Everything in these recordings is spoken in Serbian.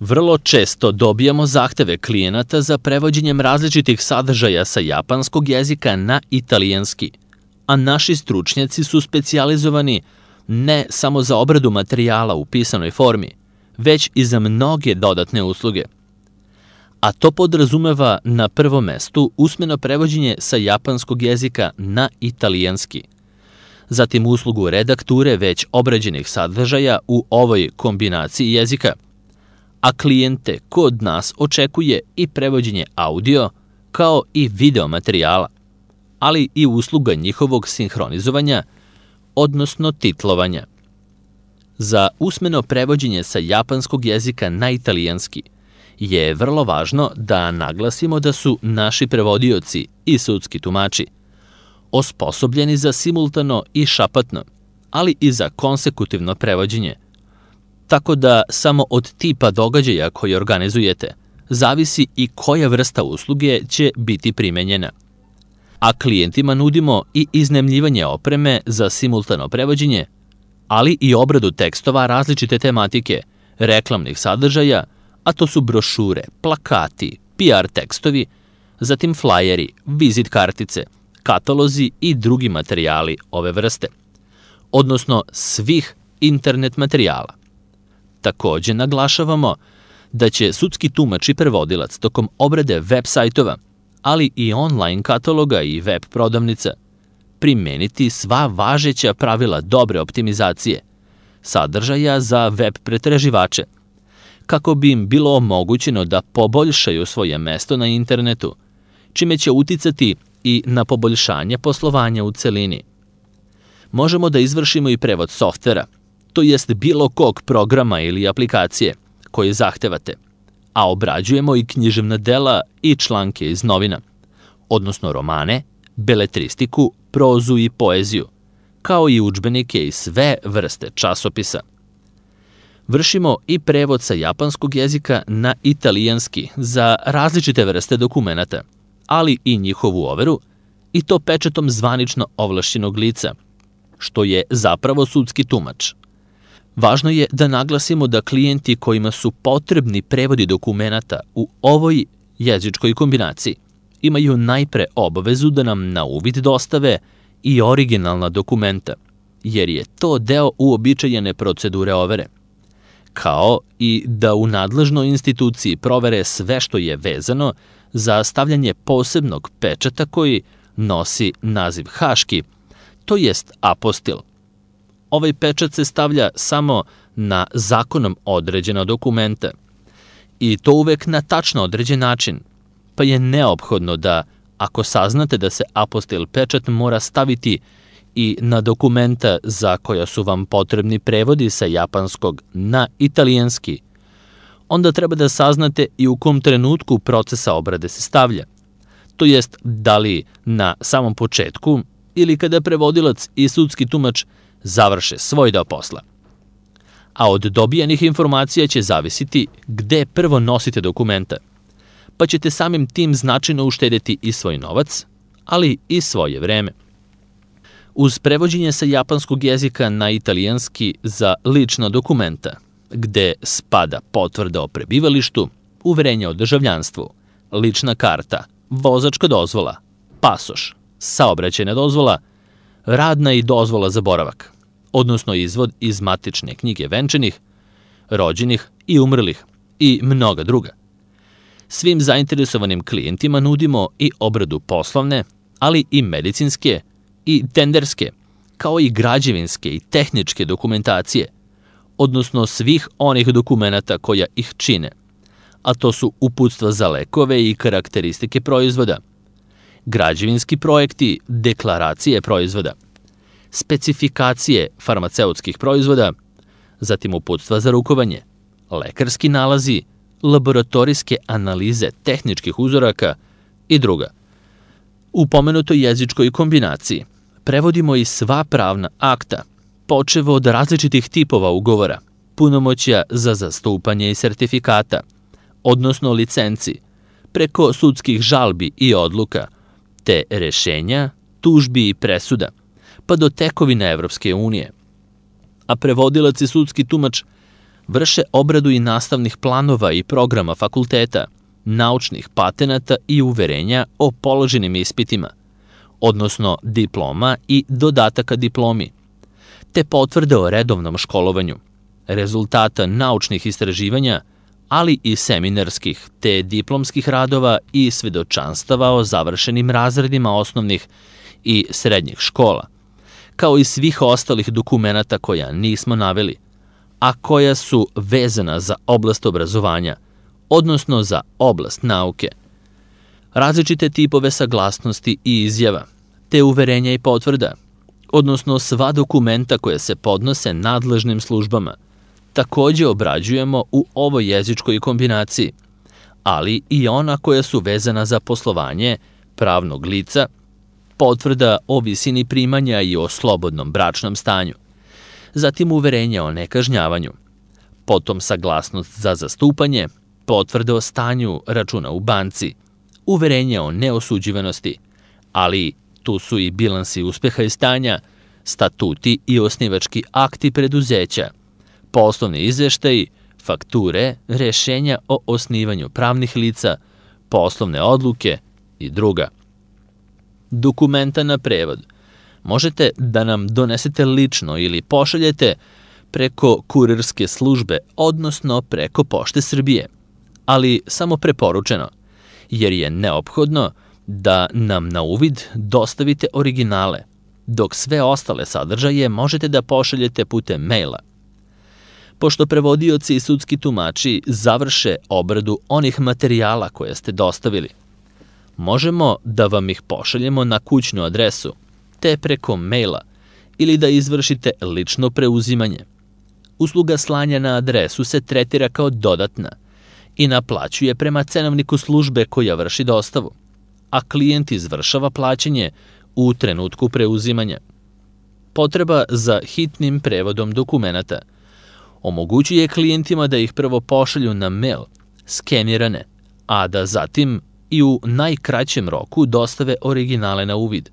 Vrlo često dobijamo zahteve klijenata za prevođenjem različitih sadržaja sa japanskog jezika na italijanski, a naši stručnjaci su specijalizovani ne samo za obradu materijala u pisanoj formi, već i za mnoge dodatne usluge. A to podrazumeva na prvom mestu usmeno prevođenje sa japanskog jezika na italijanski, zatim uslugu redakture već obrađenih sadržaja u ovoj kombinaciji jezika, a klijente kod nas očekuje i prevođenje audio kao i video materijala, ali i usluga njihovog sinhronizovanja, odnosno titlovanja. Za usmeno prevođenje sa japanskog jezika na italijanski je vrlo važno da naglasimo da su naši prevodioci i sudski tumači osposobljeni za simultano i šapatno, ali i za konsekutivno prevođenje, tako da samo od tipa događaja koji organizujete zavisi i koja vrsta usluge će biti primenjena. A klijentima nudimo i iznajmljivanje opreme za simultano prevođenje, ali i obradu tekstova različite tematike, reklamnih sadržaja, a to su brošure, plakati, PR tekstovi, zatim flajeri, vizit kartice, katalozi i drugi materijali ove vrste, odnosno svih internet materijala. Takođe naglašavamo da će sudski tumač i prevodilac tokom obrade web sajtova, ali i online kataloga i web prodavnica, primeniti sva važeća pravila dobre optimizacije, sadržaja za web pretraživače, kako bi im bilo omogućeno da poboljšaju svoje mesto na internetu, čime će uticati i na poboljšanje poslovanja u celini. Možemo da izvršimo i prevod softvera, to jest bilo kog programa ili aplikacije koje zahtevate, a obrađujemo i književna dela i članke iz novina, odnosno romane, beletristiku, prozu i poeziju, kao i udžbenike i sve vrste časopisa. Vršimo i prevod sa japanskog jezika na italijanski za različite vrste dokumenata, ali i njihovu overu, i to pečatom zvanično ovlašćenog lica, što je zapravo sudski tumač. Važno je da naglasimo da klijenti kojima su potrebni prevodi dokumenata u ovoj jezičkoj kombinaciji imaju najpre obavezu da nam na uvid dostave i originalna dokumenta, jer je to deo uobičajene procedure overe, kao i da u nadležnoj instituciji provere sve što je vezano za stavljanje posebnog pečata koji nosi naziv haški, to jest apostil. Ovaj pečat se stavlja samo na zakonom određena dokumenta i to uvek na tačno određen način, pa je neophodno da, ako saznate da se apostil pečat mora staviti i na dokumenta za koja su vam potrebni prevodi sa japanskog na italijanski, onda treba da saznate i u kom trenutku procesa obrade se stavlja, to jest da li na samom početku ili kada prevodilac i sudski tumač završe svoj deo posla. A od dobijenih informacija će zavisiti gde prvo nosite dokumenta, pa ćete samim tim značajno uštedeti i svoj novac, ali i svoje vreme. Uz prevođenje sa japanskog jezika na italijanski za lična dokumenta, gde spada potvrda o prebivalištu, uverenje o državljanstvu, lična karta, vozačka dozvola, pasoš, saobraćajna dozvola, radna i dozvola za boravak, odnosno izvod iz matične knjige venčanih, rođenih i umrlih i mnoga druga. Svim zainteresovanim klijentima nudimo i obradu poslovne, ali i medicinske i tenderske, kao i građevinske i tehničke dokumentacije, odnosno svih onih dokumenata koja ih čine, a to su uputstva za lekove i karakteristike proizvoda, građevinski projekti, deklaracije proizvoda, specifikacije farmaceutskih proizvoda, zatim uputstva za rukovanje, lekarski nalazi, laboratorijske analize tehničkih uzoraka i druga. U pomenutoj jezičkoj kombinaciji prevodimo i sva pravna akta, počev od različitih tipova ugovora, punomoćja za zastupanje i sertifikata, odnosno licenci, preko sudskih žalbi i odluka, te rešenja, tužbi i presuda, pa do tekovine Evropske unije. A prevodilac i sudski tumač vrše obradu i nastavnih planova i programa fakulteta, naučnih patenata i uverenja o položenim ispitima, odnosno diploma i dodataka diplomi, te potvrde o redovnom školovanju, rezultata naučnih istraživanja, ali i seminarskih te diplomskih radova i svedočanstava o završenim razredima osnovnih i srednjih škola, kao i svih ostalih dokumenata koja nismo naveli, a koja su vezana za oblast obrazovanja, odnosno za oblast nauke, različite tipove saglasnosti i izjava, te uverenja i potvrda, odnosno sva dokumenta koje se podnose nadležnim službama, takođe obrađujemo u ovoj jezičkoj kombinaciji, ali i ona koja su vezana za poslovanje pravnog lica, potvrda o visini primanja i o slobodnom bračnom stanju, zatim uverenja o nekažnjavanju, potom saglasnost za zastupanje, potvrde o stanju računa u banci, uverenja o neosuđivanosti, ali tu su i bilansi uspeha i stanja, statuti i osnivački akti preduzeća, poslovni izveštaji, fakture, rešenja o osnivanju pravnih lica, poslovne odluke i druga. Dokumenta na prevod možete da nam donesete lično ili pošaljete preko kurirske službe, odnosno preko Pošte Srbije, ali samo preporučeno, jer je neophodno da nam na uvid dostavite originale, dok sve ostale sadržaje možete da pošaljete putem maila. Pošto prevodioci i sudski tumači završe obradu onih materijala koje ste dostavili, možemo da vam ih pošaljemo na kućnu adresu, te preko maila, ili da izvršite lično preuzimanje. Usluga slanja na adresu se tretira kao dodatna i naplaćuje prema cenovniku službe koja vrši dostavu, a klijent izvršava plaćanje u trenutku preuzimanja. Potreba za hitnim prevodom dokumenata omogućuje klijentima da ih prvo pošalju na mail, skenirane, a da zatim i u najkraćem roku dostave originale na uvid,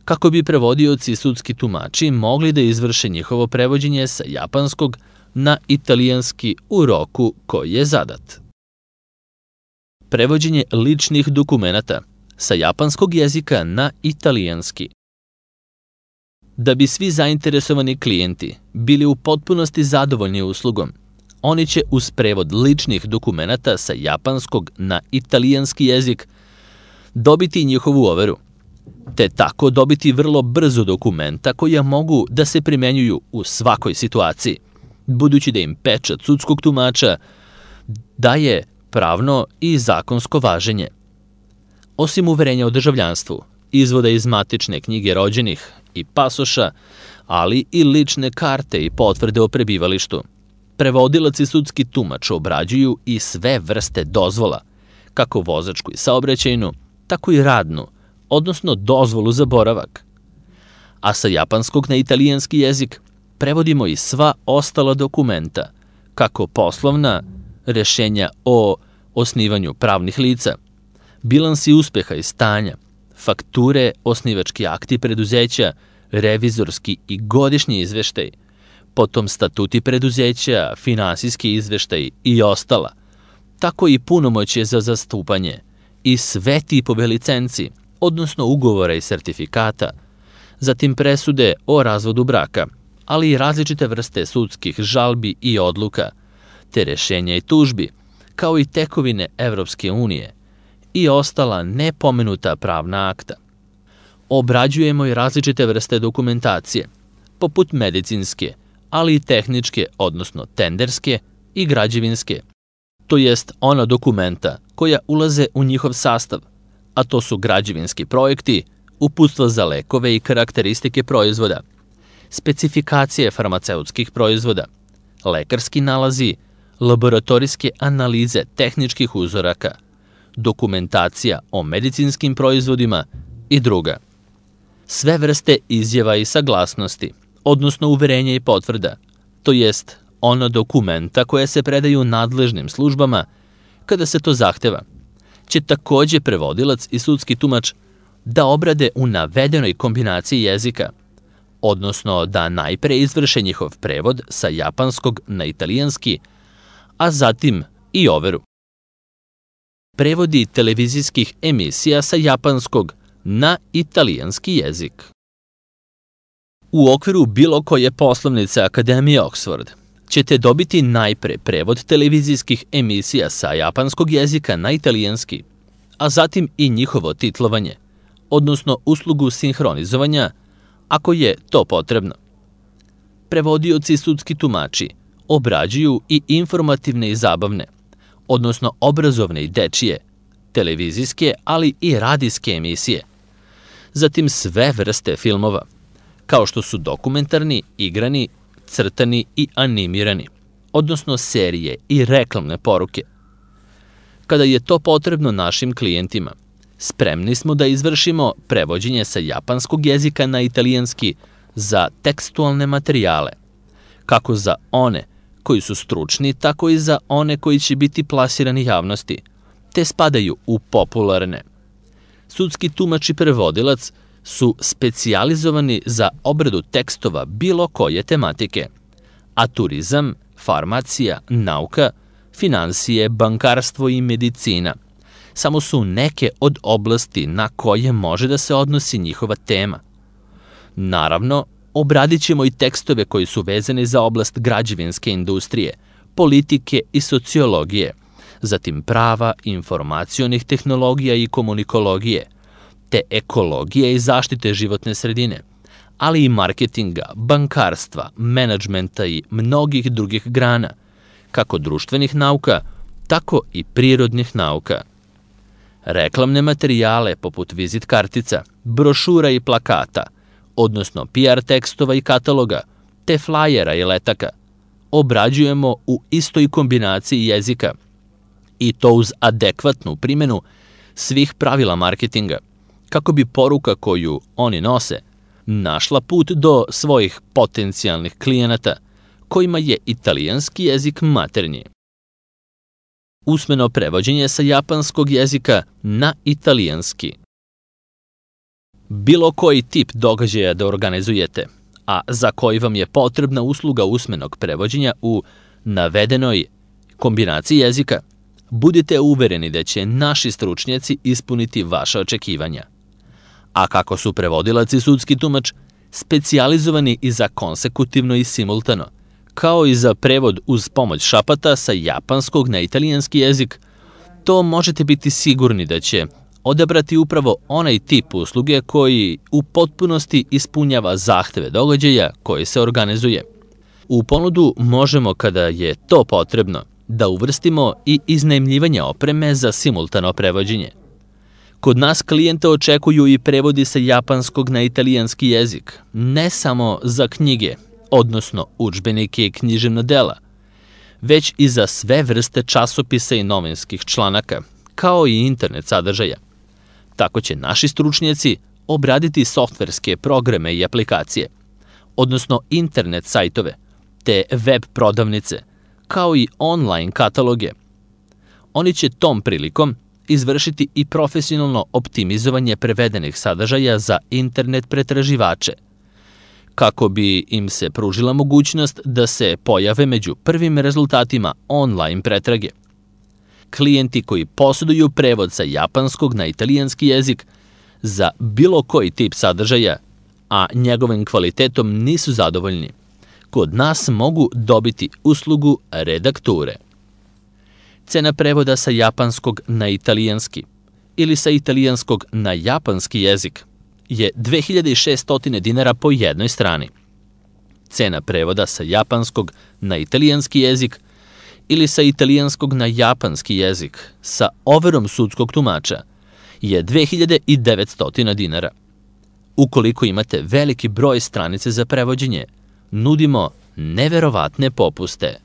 kako bi prevodioci i sudski tumači mogli da izvrše njihovo prevođenje sa japanskog na italijanski u roku koji je zadat. Prevođenje ličnih dokumenata sa japanskog jezika na italijanski. Da bi svi zainteresovani klijenti bili u potpunosti zadovoljni uslugom, oni će uz prevod ličnih dokumenata sa japanskog na italijanski jezik dobiti njihovu overu, te tako dobiti vrlo brzo dokumenta koja mogu da se primenjuju u svakoj situaciji, budući da im pečat sudskog tumača daje pravno i zakonsko važenje. Osim uverenja o državljanstvu, izvoda iz matične knjige rođenih i pasoša, ali i lične karte i potvrde o prebivalištu, prevodilac i sudski tumač obrađuju i sve vrste dozvola, kako vozačku i saobraćajnu, tako i radnu, odnosno dozvolu za boravak. A sa japanskog na italijanski jezik prevodimo i sva ostala dokumenta, kako poslovna, rešenja o osnivanju pravnih lica, bilansi uspeha i stanja, fakture, osnivački akti preduzeća, revizorski i godišnji izveštaj, potom statuti preduzeća, finansijski izveštaj i ostala, tako i punomoćje za zastupanje i sve tipove licenci, odnosno ugovora i sertifikata, zatim presude o razvodu braka, ali i različite vrste sudskih žalbi i odluka, te rešenja i tužbi, kao i tekovine Evropske unije i ostala nepomenuta pravna akta. Obrađujemo i različite vrste dokumentacije, poput medicinske, ali i tehničke, odnosno tenderske i građevinske, to jest ona dokumenta koja ulaze u njihov sastav, a to su građevinski projekti, uputstva za lekove i karakteristike proizvoda, specifikacije farmaceutskih proizvoda, lekarski nalazi, laboratorijske analize tehničkih uzoraka, dokumentacija o medicinskim proizvodima i druga. Sve vrste izjava i saglasnosti, odnosno uverenja i potvrda, to jest ona dokumenta koja se predaju nadležnim službama kada se to zahteva, će takođe prevodilac i sudski tumač da obrade u navedenoj kombinaciji jezika, odnosno da najpre izvrše njihov prevod sa japanskog na italijanski, a zatim i overu. Prevodi televizijskih emisija sa japanskog na italijanski jezik. U okviru bilo koje poslovnice Akademije Oxford ćete dobiti najpre prevod televizijskih emisija sa japanskog jezika na italijanski, a zatim i njihovo titlovanje, odnosno uslugu sinhronizovanja, ako je to potrebno. Prevodioci i sudski tumači obrađuju i informativne i zabavne, odnosno obrazovne i dečije, televizijske, ali i radijske emisije. Zatim sve vrste filmova, kao što su dokumentarni, igrani, crtani i animirani, odnosno serije i reklamne poruke. Kada je to potrebno našim klijentima, spremni smo da izvršimo prevođenje sa japanskog jezika na italijanski za tekstualne materijale, kako za one koji su stručni, tako i za one koji će biti plasirani javnosti, te spadaju u popularne. Sudski tumač i prevodilac su specijalizovani za obradu tekstova bilo koje tematike, a turizam, farmacija, nauka, finansije, bankarstvo i medicina samo su neke od oblasti na koje može da se odnosi njihova tema. Naravno, obradit ćemo i tekstove koji su vezani za oblast građevinske industrije, politike i sociologije, zatim prava, informacionih tehnologija i komunikologije, te ekologije i zaštite životne sredine, ali i marketinga, bankarstva, menadžmenta i mnogih drugih grana, kako društvenih nauka, tako i prirodnih nauka. Reklamne materijale poput vizit kartica, brošura i plakata, odnosno PR tekstova i kataloga, te flajera i letaka, obrađujemo u istoj kombinaciji jezika, i to uz adekvatnu primjenu svih pravila marketinga, kako bi poruka koju oni nose našla put do svojih potencijalnih klijenata, kojima je italijanski jezik maternji. Usmeno prevođenje sa japanskog jezika na italijanski. Bilo koji tip događaja da organizujete, a za koji vam je potrebna usluga usmenog prevođenja u navedenoj kombinaciji jezika, budite uvereni da će naši stručnjaci ispuniti vaša očekivanja. A kako su prevodilac i sudski tumač specijalizovani i za konsekutivno i simultano, kao i za prevod uz pomoć šapata sa japanskog na italijanski jezik, to možete biti sigurni da će odabrati upravo onaj tip usluge koji u potpunosti ispunjava zahteve događaja koji se organizuje. U ponudu možemo, kada je to potrebno, da uvrstimo i iznajmljivanje opreme za simultano prevođenje. Kod nas klijente očekuju i prevodi sa japanskog na italijanski jezik, ne samo za knjige, odnosno udžbenike i književna dela, već i za sve vrste časopisa i novinskih članaka, kao i internet sadržaja. Tako će naši stručnjaci obraditi softverske programe i aplikacije, odnosno internet sajtove, te web prodavnice, kao i online kataloge. Oni će tom prilikom izvršiti i profesionalno optimizovanje prevedenih sadržaja za internet pretraživače, kako bi im se pružila mogućnost da se pojave među prvim rezultatima online pretrage. Klijenti koji posjeduju prevod sa japanskog na italijanski jezik za bilo koji tip sadržaja, a njegovim kvalitetom nisu zadovoljni, kod nas mogu dobiti uslugu redakture. Cena prevoda sa japanskog na italijanski ili sa italijanskog na japanski jezik je 2600 dinara po jednoj strani. Cena prevoda sa japanskog na italijanski jezik ili sa italijanskog na japanski jezik sa overom sudskog tumača je 2900 dinara. Ukoliko imate veliki broj stranice za prevođenje, nudimo neverovatne popuste.